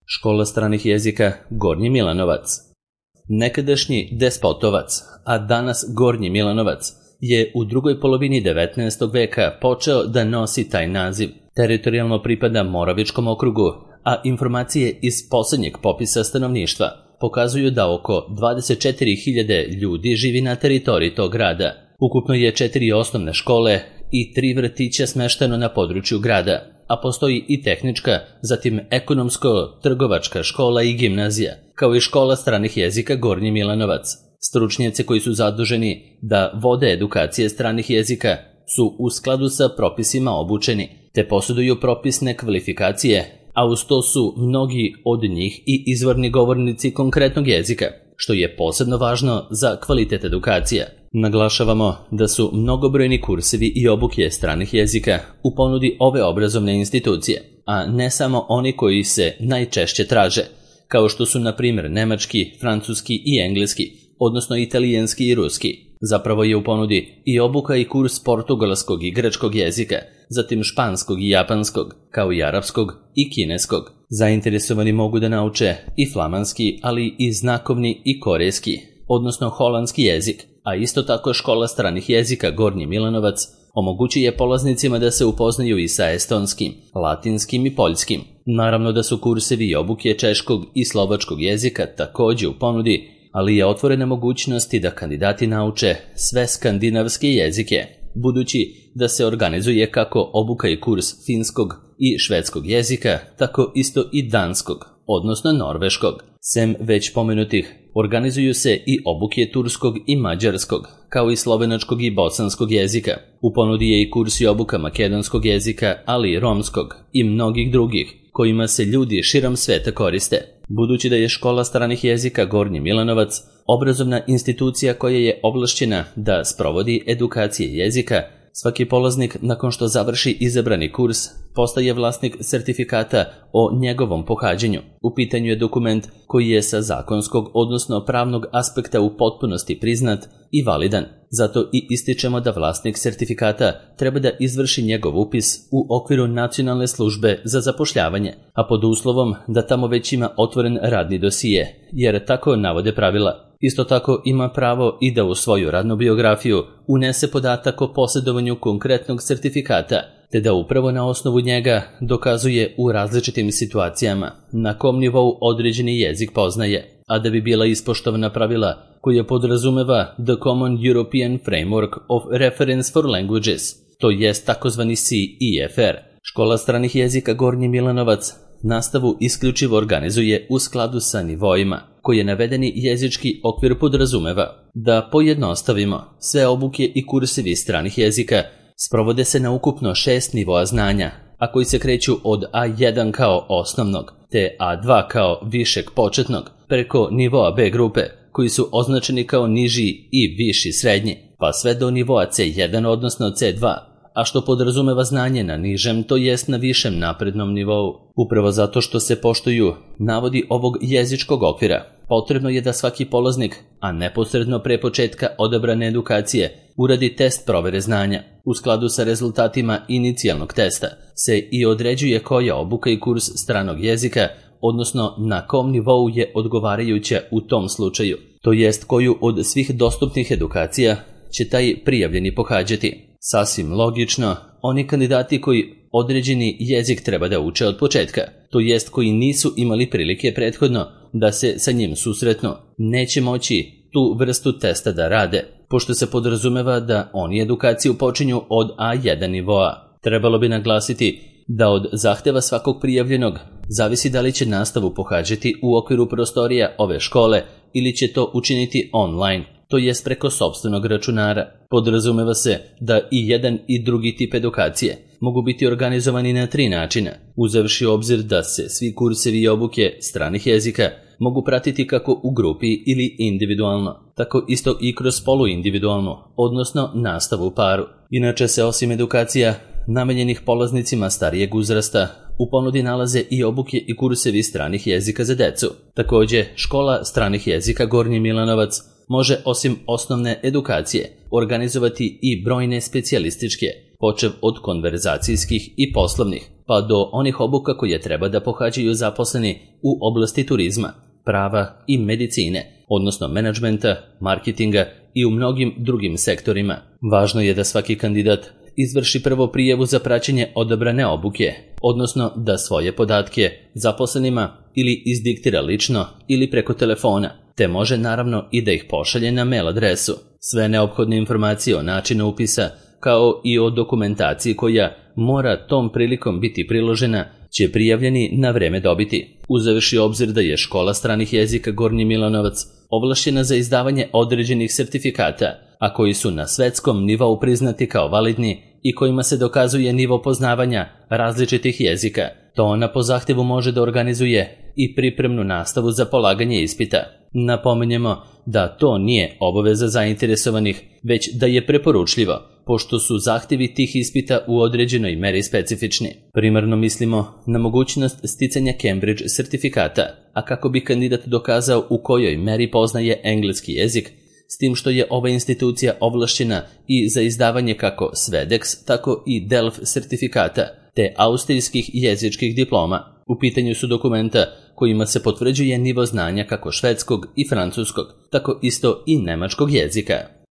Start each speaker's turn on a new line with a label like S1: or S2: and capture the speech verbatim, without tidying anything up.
S1: Škola stranih jezika Gornji Milanovac. Nekadašnji Despotovac, a danas Gornji Milanovac, je u drugoj polovini devetnaestog veka počeo da nosi taj naziv. Teritorijalno pripada Moravičkom okrugu, a informacije iz poslednjeg popisa stanovništva pokazuju da oko dvadeset četiri hiljade ljudi živi na teritoriji tog grada. Ukupno je četiri osnovne škole i tri vrtića smešteno na području grada, a postoji i tehnička, zatim ekonomsko-trgovačka škola i gimnazija, kao i škola stranih jezika Gornji Milanovac. Stručnjaci koji su zaduženi da vode edukacije stranih jezika su u skladu sa propisima obučeni, te posjeduju propisne kvalifikacije, a uz to su mnogi od njih i izvorni govornici konkretnog jezika, što je posebno važno za kvalitet edukacija. Naglašavamo da su mnogobrojni kursevi i obuke stranih jezika u ponudi ove obrazovne institucije, a ne samo oni koji se najčešće traže, kao što su na primjer nemački, francuski i engleski, odnosno italijanski i ruski. Zapravo je u ponudi i obuka i kurs portugalskog i grčkog jezika, zatim španskog i japanskog, kao i arapskog i kineskog. Zainteresovani mogu da nauče i flamanski, ali i znakovni i korejski, odnosno holandski jezik, a isto tako škola stranih jezika Gornji Milanovac omogućuje polaznicima da se upoznaju i sa estonskim, latinskim i poljskim. Naravno da su kursevi i obuke češkog i slovačkog jezika takođe u ponudi, ali je otvorena mogućnosti da kandidati nauče sve skandinavske jezike, budući da se organizuje kako obuka i kurs finskog i švedskog jezika, tako isto i danskog, odnosno norveškog. Sem već pomenutih, organizuju se i obuke turskog i mađarskog, kao i slovenačkog i bosanskog jezika. U ponudi je i kurs i obuka makedonskog jezika, ali i romskog i mnogih drugih, kojima se ljudi širom sveta koriste. Budući da je škola stranih jezika Gornji Milanovac obrazovna institucija koja je ovlašćena da sprovodi edukacije jezika, svaki polaznik nakon što završi izabrani kurs postaje vlasnik sertifikata o njegovom pohađanju. U pitanju je dokument koji je sa zakonskog, odnosno pravnog aspekta u potpunosti priznat i validan. Zato i ističemo da vlasnik sertifikata treba da izvrši njegov upis u okviru Nacionalne službe za zapošljavanje, a pod uslovom da tamo već ima otvoren radni dosije, jer tako navode pravila. Isto tako ima pravo i da u svoju radnu biografiju unese podatak o posjedovanju konkretnog sertifikata, te da upravo na osnovu njega dokazuje u različitim situacijama na kom nivou određeni jezik poznaje, a da bi bila ispoštovana pravila koja podrazumeva The Common European Framework of Reference for Languages, to jest takozvani C E F R. Škola stranih jezika Gornji Milanovac nastavu isključivo organizuje u skladu sa nivoima koje navedeni jezički okvir podrazumeva. Da pojednostavimo, sve obuke i kursevi stranih jezika sprovode se na ukupno šest nivoa znanja, a koji se kreću od A jedan kao osnovnog, te A dva kao višeg početnog, preko nivoa B grupe, koji su označeni kao niži i viši srednji, pa sve do nivoa C jedan odnosno C dva, a što podrazumeva znanje na nižem, to jest na višem naprednom nivou. Upravo zato što se poštuju navodi ovog jezičkog okvira, potrebno je da svaki polaznik, a neposredno pre početka odabrane edukacije, uradi test provere znanja. U skladu sa rezultatima inicijalnog testa se i određuje koja obuka i kurs stranog jezika, odnosno na kom nivou je odgovarajuća u tom slučaju, to jest koju od svih dostupnih edukacija će taj prijavljeni pohađati. Sasvim logično, oni kandidati koji određeni jezik treba da uče od početka, to jest koji nisu imali prilike prethodno da se sa njim susretnu, neće moći tu vrstu testa da rade, pošto se podrazumeva da oni edukaciju počinju od A jedan nivoa. Trebalo bi naglasiti da od zahteva svakog prijavljenog zavisi da li će nastavu pohađati u okviru prostorija ove škole ili će to učiniti online, to jest preko sopstvenog računara. Podrazumeva se da i jedan i drugi tip edukacije mogu biti organizovani na tri načina, uzevši u obzir da se svi kursevi i obuke stranih jezika mogu pratiti kako u grupi ili individualno, tako isto i kroz poluindividualnu, odnosno nastavu u paru. Inače se osim edukacija namenjenih polaznicima starijeg uzrasta, u ponudi nalaze i obuke i kursevi stranih jezika za decu. Takođe, škola stranih jezika Gornji Milanovac može osim osnovne edukacije organizovati i brojne specijalističke, počev od konverzacijskih i poslovnih, pa do onih obuka koje treba da pohađaju zaposleni u oblasti turizma, prava i medicine, odnosno menadžmenta, marketinga i u mnogim drugim sektorima. Važno je da svaki kandidat izvrši prvo prijavu za praćenje odabrane obuke, odnosno da svoje podatke zaposlenima ili izdiktira lično ili preko telefona, te može naravno i da ih pošalje na mail adresu. Sve neophodne informacije o načinu upisa, kao i o dokumentaciji koja mora tom prilikom biti priložena, će prijavljeni na vreme dobiti. Uzevši obzir da je Škola stranih jezika Gornji Milanovac ovlašćena za izdavanje određenih sertifikata, a koji su na svetskom nivou priznati kao validni i kojima se dokazuje nivo poznavanja različitih jezika, to ona po zahtjevu može da organizuje i pripremnu nastavu za polaganje ispita. Napominjemo da to nije obaveza zainteresovanih, već da je preporučljivo, pošto su zahtjevi tih ispita u određenoj meri specifični. Primarno mislimo na mogućnost sticanja Cambridge sertifikata, a kako bi kandidat dokazao u kojoj meri poznaje engleski jezik, s tim što je ova institucija ovlašćena i za izdavanje kako Svedex, tako i Delf sertifikata, te austrijskih jezičkih diploma. U pitanju su dokumenta kojima se potvrđuje nivo znanja kako švedskog i francuskog, tako isto i nemačkog jezika.